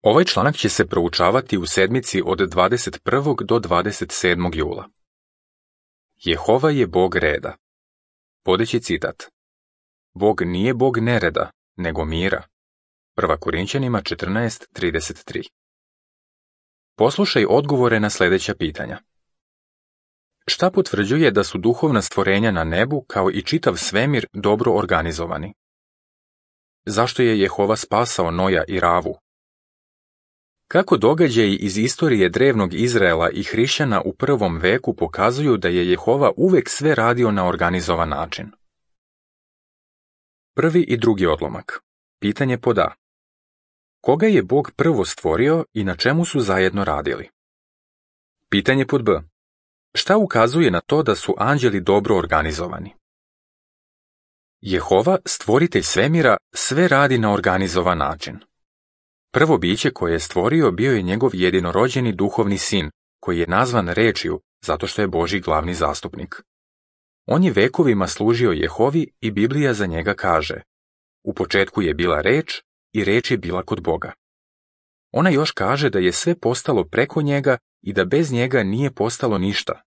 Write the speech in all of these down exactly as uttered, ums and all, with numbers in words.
Ovaj članak će se proučavati u sedmici od dvadeset prvog do dvadeset sedmog jula. Jehova je Bog reda. Vodeći citat. Bog nije Bog nereda, nego mira. Prva Korinćanima četrnaest trideset tri. Poslušaj odgovore na sljedeća pitanja. Šta potvrđuje da su duhovna stvorenja na nebu kao i čitav svemir dobro organizovani? Zašto je Jehova spasao Noja i Ravu? Kako događaji iz istorije drevnog Izraela i hrišćana u prvom veku pokazuju da je Jehova uvek sve radio na organizovan način? Prvi i drugi odlomak. Pitanje pod A. Koga je Bog prvo stvorio i na čemu su zajedno radili? Pitanje pod B. Šta ukazuje na to da su anđeli dobro organizovani? Jehova, stvoritelj svemira, sve radi na organizovan način. Prvo biće koje je stvorio bio je njegov jedinorođeni duhovni sin, koji je nazvan rečju zato što je Božji glavni zastupnik. On je vekovima služio Jehovi i Biblija za njega kaže: U početku je bila reč i reč je bila kod Boga. Ona još kaže da je sve postalo preko njega i da bez njega nije postalo ništa.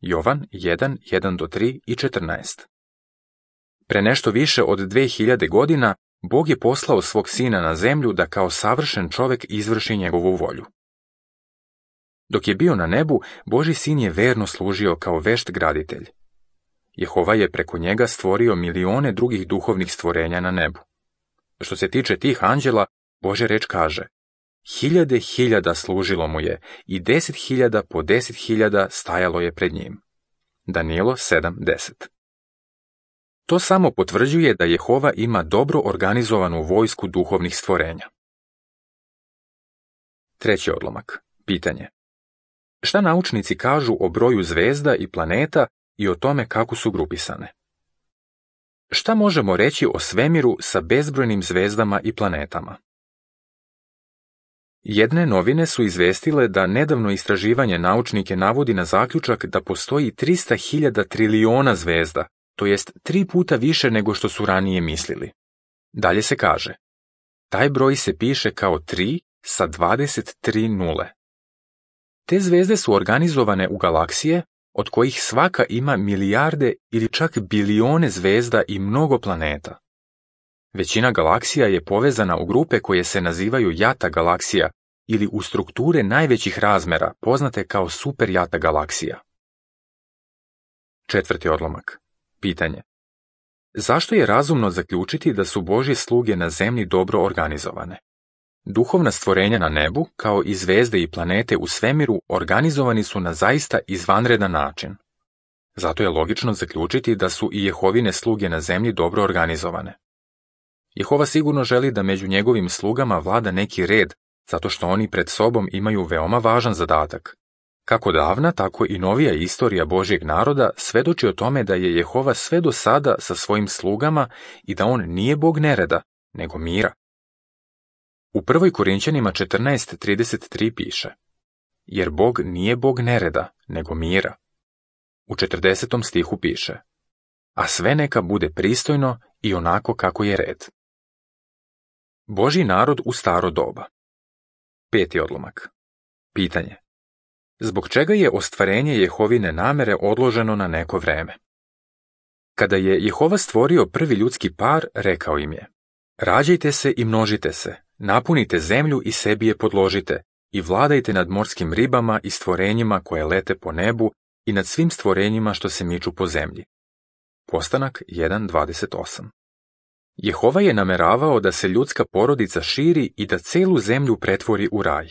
Jovan jedan jedan do tri i četrnaest. Pre nešto više od dve hiljade godina Bog je poslao svog sina na zemlju da kao savršen čovek izvrši njegovu volju. Dok je bio na nebu, Božji sin je verno služio kao vešt graditelj. Jehova je preko njega stvorio milione drugih duhovnih stvorenja na nebu. Što se tiče tih anđela, Božja reč kaže: Hiljade hiljada služilo mu je i deset hiljada po deset hiljada stajalo je pred njim. Danijelo sedam deset. To samo potvrđuje da Jehova ima dobro organizovanu vojsku duhovnih stvorenja. Treći odlomak. Pitanje. Šta naučnici kažu o broju zvezda i planeta i o tome kako su grupisane? Šta možemo reći o svemiru sa bezbrojnim zvezdama i planetama? Jedne novine su izvestile da nedavno istraživanje naučnike navodi na zaključak da postoji trista hiljada triliona zvezda, to jest tri puta više nego što su ranije mislili. Dalje se kaže: taj broj se piše kao tri sa dvadeset tri nule. Te zvezde su organizovane u galaksije, od kojih svaka ima milijarde ili čak bilione zvezda i mnogo planeta. Većina galaksija je povezana u grupe koje se nazivaju jata galaksija ili u strukture najvećih razmera, poznate kao superjata galaksija. Četvrti odlomak. Pitanje. Zašto je razumno zaključiti da su Božje sluge na zemlji dobro organizovane? Duhovna stvorenja na nebu, kao i zvezde i planete u svemiru, organizovani su na zaista izvanredan način. Zato je logično zaključiti da su i Jehovine sluge na zemlji dobro organizovane. Jehova sigurno želi da među njegovim slugama vlada neki red, zato što oni pred sobom imaju veoma važan zadatak. Kako davna, tako i novija istorija Božjeg naroda svedoči o tome da je Jehova sve do sada sa svojim slugama i da on nije Bog nereda, nego mira. U prvoj Korinćanima četrnaest trideset tri piše: jer Bog nije Bog nereda, nego mira. U četrdesetom stihu piše: a sve neka bude pristojno i onako kako je red. Božji narod u staro doba. Peti odlomak. Pitanje. Zbog čega je ostvarenje Jehovine namere odloženo na neko vreme? Kada je Jehova stvorio prvi ljudski par, rekao im je: rađajte se i množite se, napunite zemlju i sebi je podložite, i vladajte nad morskim ribama i stvorenjima koje lete po nebu i nad svim stvorenjima što se miču po zemlji. Postanak jedan dvadeset osam. Jehova je nameravao da se ljudska porodica širi i da celu zemlju pretvori u raj.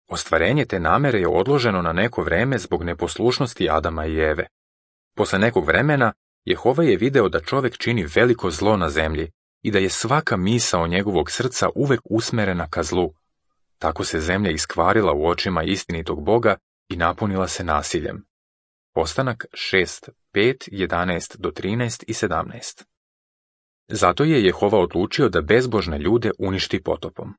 Ostvarenje te namere je odloženo na neko vreme zbog neposlušnosti Adama i Eve. Posle nekog vremena, Jehova je video da čovek čini veliko zlo na zemlji i da je svaka misao njegovog srca uvek usmerena ka zlu. Tako se zemlja iskvarila u očima istinitog Boga i napunila se nasiljem. Postanak šest, pet, jedanaest do trinaest i sedamnaest. Zato je Jehova odlučio da bezbožne ljude uništi potopom.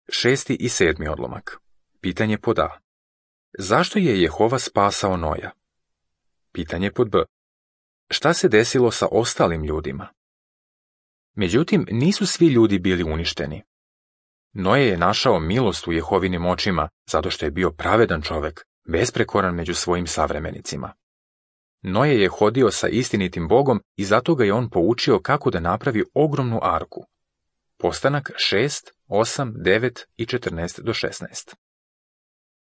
Šesti i sedmi odlomak. Pitanje pod A. Zašto je Jehova spasao Noja? Pitanje pod B. Šta se desilo sa ostalim ljudima? Međutim, nisu svi ljudi bili uništeni. Noe je našao milost u Jehovinim očima, zato što je bio pravedan čovek, besprekoran među svojim savremenicima. Noe je hodio sa istinitim Bogom i zato ga je on poučio kako da napravi ogromnu arku. Postanak šest, osam, devet i četrnaest do šesnaest.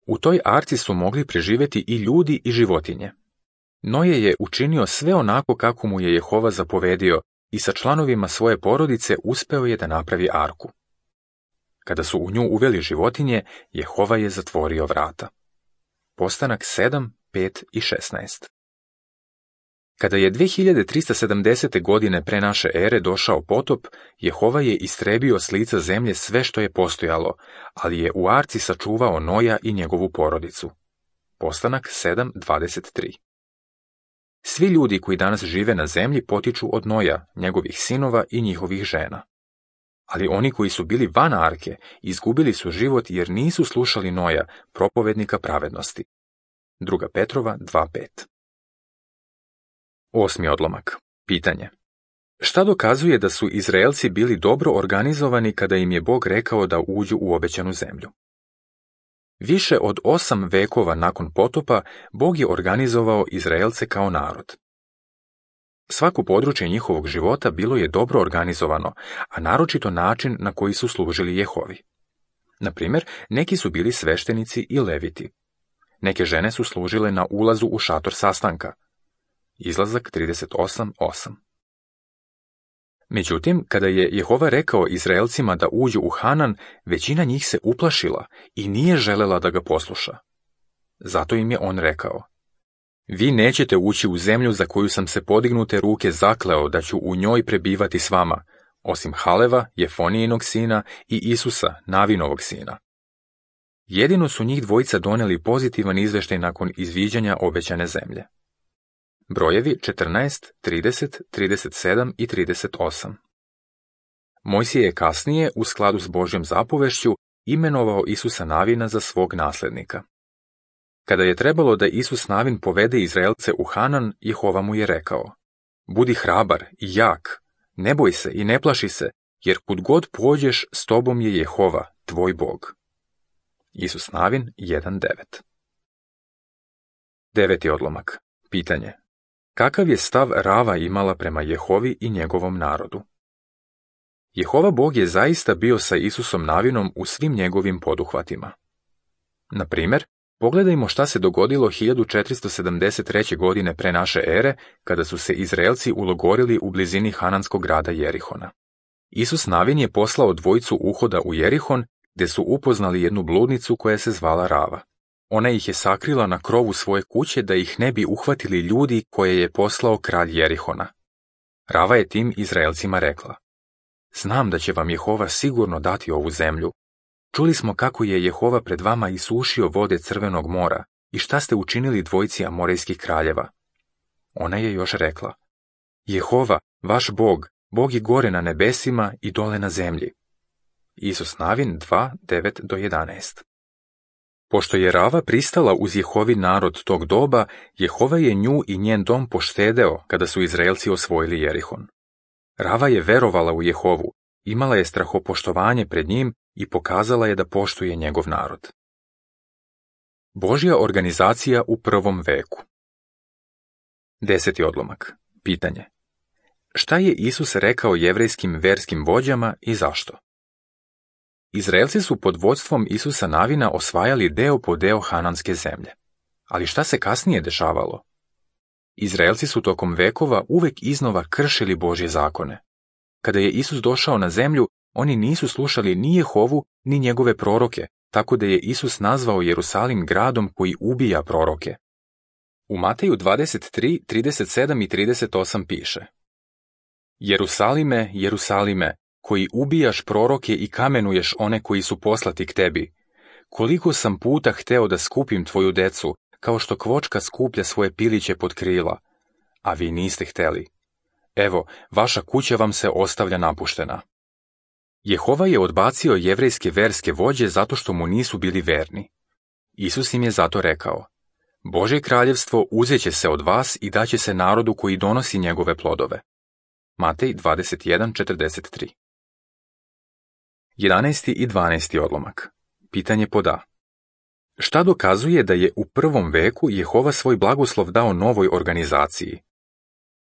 U toj arci su mogli preživjeti i ljudi i životinje. Noe je učinio sve onako kako mu je Jehova zapovedio i sa članovima svoje porodice uspeo je da napravi arku. Kada su u nju uveli životinje, Jehova je zatvorio vrata. Postanak sedam, pet i šesnaest. Kada je dve hiljade trista sedamdesete. godine pre naše ere došao potop, Jehova je istrebio s lica zemlje sve što je postojalo, ali je u arci sačuvao Noja i njegovu porodicu. Postanak sedam, dvadeset tri. Svi ljudi koji danas žive na zemlji potiču od Noja, njegovih sinova i njihovih žena. Ali oni koji su bili van arke izgubili su život jer nisu slušali Noja, propovednika pravednosti. Druga Petrova dva pet. Osmi odlomak. Pitanje. Šta dokazuje da su Izraelci bili dobro organizovani kada im je Bog rekao da uđu u obećanu zemlju? Više od osam vekova nakon potopa, Bog je organizovao Izraelce kao narod. Svako područje njihovog života bilo je dobro organizovano, a naročito način na koji su služili Jehovi. Na primjer, neki su bili sveštenici i leviti. Neke žene su služile na ulazu u šator sastanka. Izlazak trideset osam osam. Međutim, kada je Jehova rekao Izraelcima da uđu u Hanan, većina njih se uplašila i nije želela da ga posluša. Zato im je on rekao: Vi nećete ući u zemlju za koju sam se podignute ruke zakleo da ću u njoj prebivati s vama, osim Haleva, Jefonijinog sina i Isusa, Navinovog sina. Jedino su njih dvojica doneli pozitivan izveštaj nakon izviđanja obećane zemlje. Brojevi četrnaest, trideset, trideset sedam i trideset osam. Mojsije je kasnije, u skladu s Božjom zapovešću, imenovao Isusa Navina za svog naslednika. Kada je trebalo da Isus Navin povede Izraelce u Hanan, Jehova mu je rekao: Budi hrabar i jak, ne boj se i ne plaši se, jer kud god pođeš, s tobom je Jehova, tvoj Bog. Isus Navin jedan devet. Deveti odlomak. Pitanje. Kakav je stav Rava imala prema Jehovi i njegovom narodu? Jehova Bog je zaista bio sa Isusom Navinom u svim njegovim poduhvatima. Na primjer, pogledajmo šta se dogodilo hiljadu četiristo sedamdeset treće. godine pre naše ere, kada su se Izraelci ulogorili u blizini hananskog grada Jerihona. Isus Navin je poslao dvojicu uhoda u Jerihon, gde su upoznali jednu bludnicu koja se zvala Rava. Ona ih je sakrila na krovu svoje kuće da ih ne bi uhvatili ljudi koje je poslao kralj Jerihona. Rava je tim Izraelcima rekla: Znam da će vam Jehova sigurno dati ovu zemlju. Čuli smo kako je Jehova pred vama isušio vode Crvenog mora i šta ste učinili dvojici amorejskih kraljeva. Ona je još rekla: Jehova, vaš Bog, Bog je gore na nebesima i dole na zemlji. Isus Navin dva, devet do jedanaest. Pošto je Rava pristala uz Jehovin narod tog doba, Jehova je nju i njen dom poštedeo kada su Izraelci osvojili Jerihon. Rava je verovala u Jehovu, imala je strahopoštovanje pred njim i pokazala je da poštuje njegov narod. Božja organizacija u prvom veku. Deseti odlomak. Pitanje. Šta je Isus rekao jevrejskim verskim vođama i zašto? Izraelci su pod vodstvom Isusa Navina osvajali deo po deo hananske zemlje. Ali šta se kasnije dešavalo? Izraelci su tokom vekova uvek iznova kršili Božje zakone. Kada je Isus došao na zemlju, oni nisu slušali ni Jehovu, ni njegove proroke, tako da je Isus nazvao Jerusalim gradom koji ubija proroke. U Mateju dvadeset tri, trideset sedam i trideset osam piše: Jerusalime, Jerusalime, koji ubijaš proroke i kamenuješ one koji su poslati k tebi, koliko sam puta hteo da skupim tvoju decu, kao što kvočka skuplja svoje piliće pod krila, a vi niste hteli. Evo, vaša kuća vam se ostavlja napuštena. Jehova je odbacio jevrejske verske vođe zato što mu nisu bili verni. Isus im je zato rekao: Božje kraljevstvo uzeće se od vas i daće se narodu koji donosi njegove plodove. Matej dvadeset jedan, četrdeset tri. jedanaesti i dvanaesti odlomak. Pitanje pod A. Šta dokazuje da je u prvom veku Jehova svoj blagoslov dao novoj organizaciji?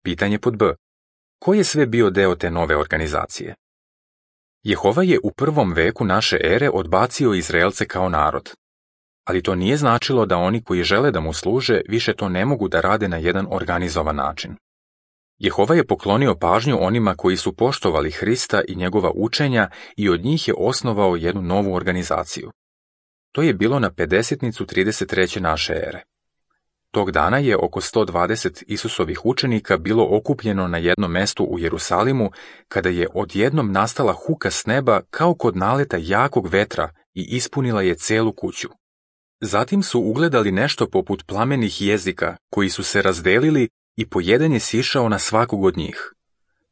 Pitanje pod B. Ko je sve bio deo te nove organizacije? Jehova je u prvom veku naše ere odbacio Izraelce kao narod. Ali to nije značilo da oni koji žele da mu služe više to ne mogu da rade na jedan organizovan način. Jehova je poklonio pažnju onima koji su poštovali Hrista i njegova učenja i od njih je osnovao jednu novu organizaciju. To je bilo na pedesetnicu trideset treće naše ere. Tog dana je oko sto dvadeset Isusovih učenika bilo okupljeno na jednom mestu u Jerusalimu, kada je odjednom nastala huka s neba kao kod naleta jakog vetra i ispunila je celu kuću. Zatim su ugledali nešto poput plamenih jezika, koji su se razdelili i po jedan je sišao na svakog od njih.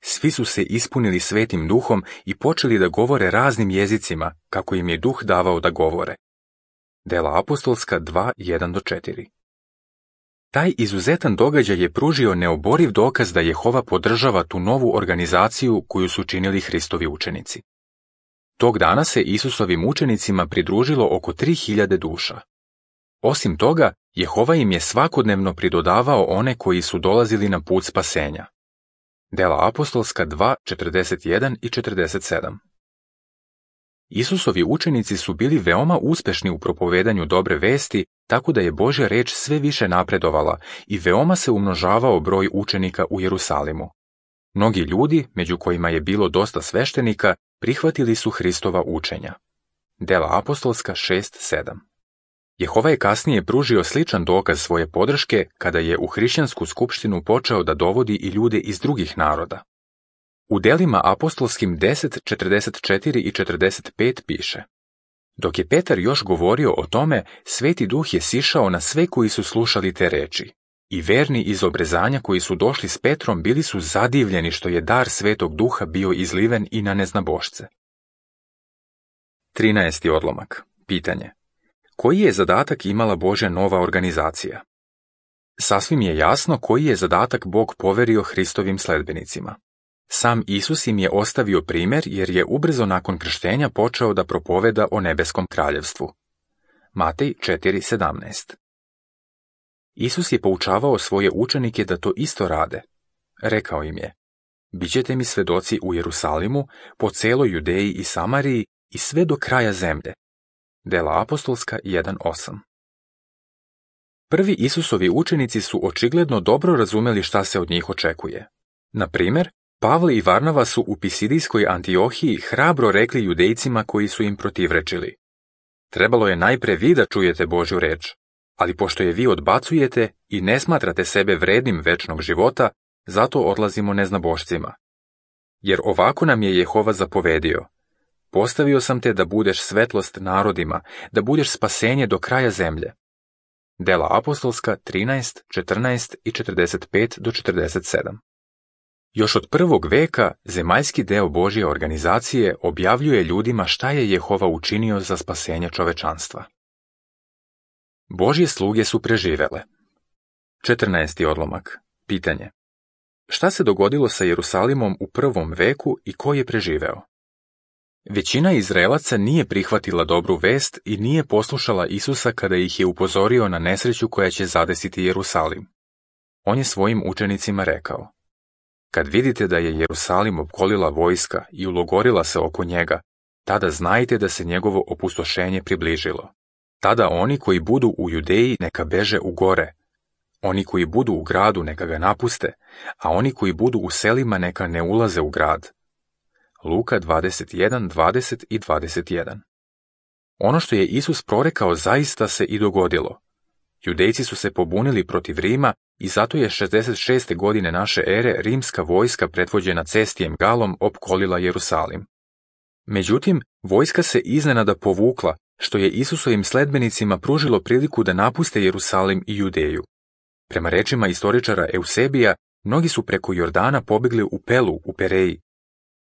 Svi su se ispunili Svetim Duhom i počeli da govore raznim jezicima, kako im je Duh davao da govore. Dela apostolska dva, jedan do četiri. Taj izuzetan događaj je pružio neoboriv dokaz da Jehova podržava tu novu organizaciju koju su činili Hristovi učenici. Tog dana se Isusovim učenicima pridružilo oko tri hiljade duša. Osim toga, Jehova im je svakodnevno pridodavao one koji su dolazili na put spasenja. Dela apostolska dva, četrdeset jedan i četrdeset sedam. Isusovi učenici su bili veoma uspešni u propovedanju dobre vesti, tako da je Božja reč sve više napredovala i veoma se umnožavao broj učenika u Jerusalimu. Mnogi ljudi, među kojima je bilo dosta sveštenika, prihvatili su Hristova učenja. Dela apostolska šest sedam. Jehova je kasnije pružio sličan dokaz svoje podrške kada je u hrišćansku skupštinu počeo da dovodi i ljude iz drugih naroda. U delima apostolskim deset, četrdeset četiri i četrdeset pet piše: Dok je Petar još govorio o tome, Sveti Duh je sišao na sve koji su slušali te reči. I verni iz obrezanja koji su došli s Petrom bili su zadivljeni što je dar Svetog Duha bio izliven i na neznabošce. trinaesti odlomak. Pitanje. Koji je zadatak imala Božja nova organizacija? Sasvim je jasno koji je zadatak Bog poverio Hristovim sledbenicima. Sam Isus im je ostavio primjer jer je ubrzo nakon krštenja počeo da propoveda o nebeskom kraljevstvu. Matej četiri sedamnaest. Isus je poučavao svoje učenike da to isto rade. Rekao im je: Bićete mi svedoci u Jerusalimu, po celoj Judeji i Samariji i sve do kraja zemlje. Dela apostolska jedan osam. Prvi Isusovi učenici su očigledno dobro razumeli šta se od njih očekuje. Na primjer, Pavle i Varnava su u Pisidijskoj Antiohiji hrabro rekli Judejcima koji su im protivrečili: Trebalo je najpre vi da čujete Božju reč, ali pošto je vi odbacujete i ne smatrate sebe vrednim večnog života, zato odlazimo neznabošcima. Jer ovako nam je Jehova zapovedio: Postavio sam te da budeš svetlost narodima, da budeš spasenje do kraja zemlje. Dela apostolska trinaest, četrnaest i četrdeset pet do četrdeset sedam. Još od prvog veka zemaljski deo Božje organizacije objavljuje ljudima šta je Jehova učinio za spasenje čovečanstva. Božje sluge su preživele. četrnaesti odlomak. Pitanje. Šta se dogodilo sa Jerusalimom u prvom veku i ko je preživeo? Većina Izraelaca nije prihvatila dobru vest i nije poslušala Isusa kada ih je upozorio na nesreću koja će zadesiti Jerusalim. On je svojim učenicima rekao: Kad vidite da je Jerusalim opkolila vojska i ulogorila se oko njega, tada znajte da se njegovo opustošenje približilo. Tada oni koji budu u Judeji neka beže u gore, oni koji budu u gradu neka ga napuste, a oni koji budu u selima neka ne ulaze u grad. Luka dvadeset jedan, dvadeset i dvadeset jedan. Ono što je Isus prorekao zaista se i dogodilo. Judejci su se pobunili protiv Rima i zato je šezdeset šeste godine naše ere rimska vojska predvođena Cestijem Galom opkolila Jerusalim. Međutim, vojska se iznenada povukla, što je Isusovim sledbenicima pružilo priliku da napuste Jerusalim i Judeju. Prema rečima istoričara Eusebija, mnogi su preko Jordana pobegli u Pelu u Pereji.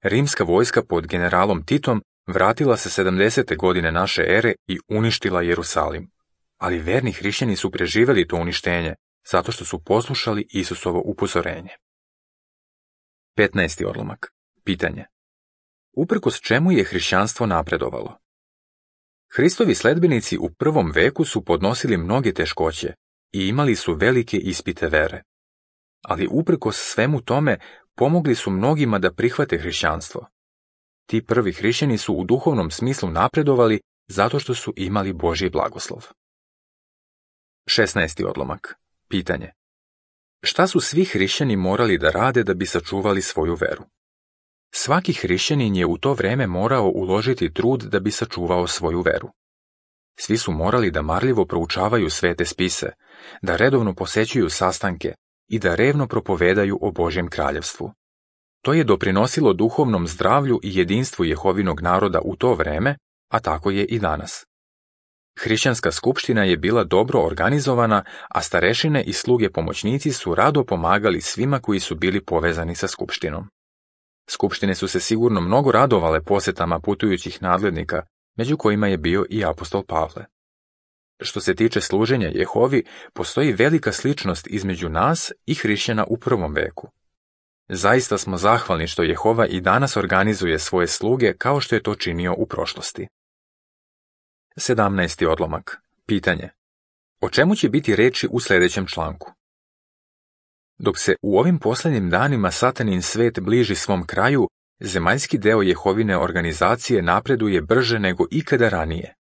Rimska vojska pod generalom Titom vratila se sedamdesete godine naše ere i uništila Jerusalim. Ali verni hrišćani su preživeli to uništenje, zato što su poslušali Isusovo upozorenje. petnaesti odlomak. Pitanje. uprkos čemu je hrišćanstvo napredovalo. Hristovi sledbenici u prvom veku su podnosili mnoge teškoće i imali su velike ispite vere. Ali uprkos svemu tome pomogli su mnogima da prihvate hrišćanstvo. Ti prvi hrišćani su u duhovnom smislu napredovali zato što su imali Božji blagoslov. šesnaesti odlomak. Pitanje. Šta su svi hrišćani morali da rade da bi sačuvali svoju veru? Svaki hrišćanin je u to vreme morao uložiti trud da bi sačuvao svoju veru. Svi su morali da marljivo proučavaju svete spise, da redovno posećuju sastanke i da revno propovedaju o Božjem kraljevstvu. To je doprinosilo duhovnom zdravlju i jedinstvu Jehovinog naroda u to vreme, a tako je i danas. Hrišćanska skupština je bila dobro organizovana, a starešine i sluge pomoćnici su rado pomagali svima koji su bili povezani sa skupštinom. Skupštine su se sigurno mnogo radovale posetama putujućih nadglednika, među kojima je bio i apostol Pavle. Što se tiče služenja Jehovi, postoji velika sličnost između nas i hrišćana u prvom veku. Zaista smo zahvalni što Jehova i danas organizuje svoje sluge kao što je to činio u prošlosti. sedamnaesti odlomak. Pitanje. O čemu će biti reči u sljedećem članku? Dok se u ovim posljednjim danima satanin svet bliži svom kraju, zemaljski deo Jehovine organizacije napreduje brže nego ikada ranije.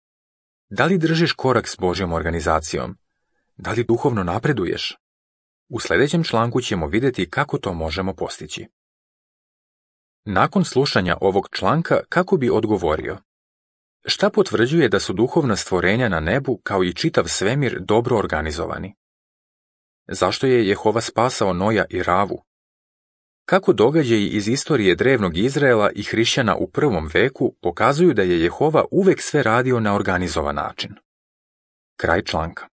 Da li držiš korak s Božjom organizacijom? Da li duhovno napreduješ? U sljedećem članku ćemo vidjeti kako to možemo postići. Nakon slušanja ovog članka, kako bi odgovorio? Šta potvrđuje da su duhovna stvorenja na nebu kao i čitav svemir dobro organizovani? Zašto je Jehova spasao Noja i Ravu? Kako događaji iz istorije drevnog Izraela i hrišćana u prvom veku pokazuju da je Jehova uvek sve radio na organizovan način? Kraj članka.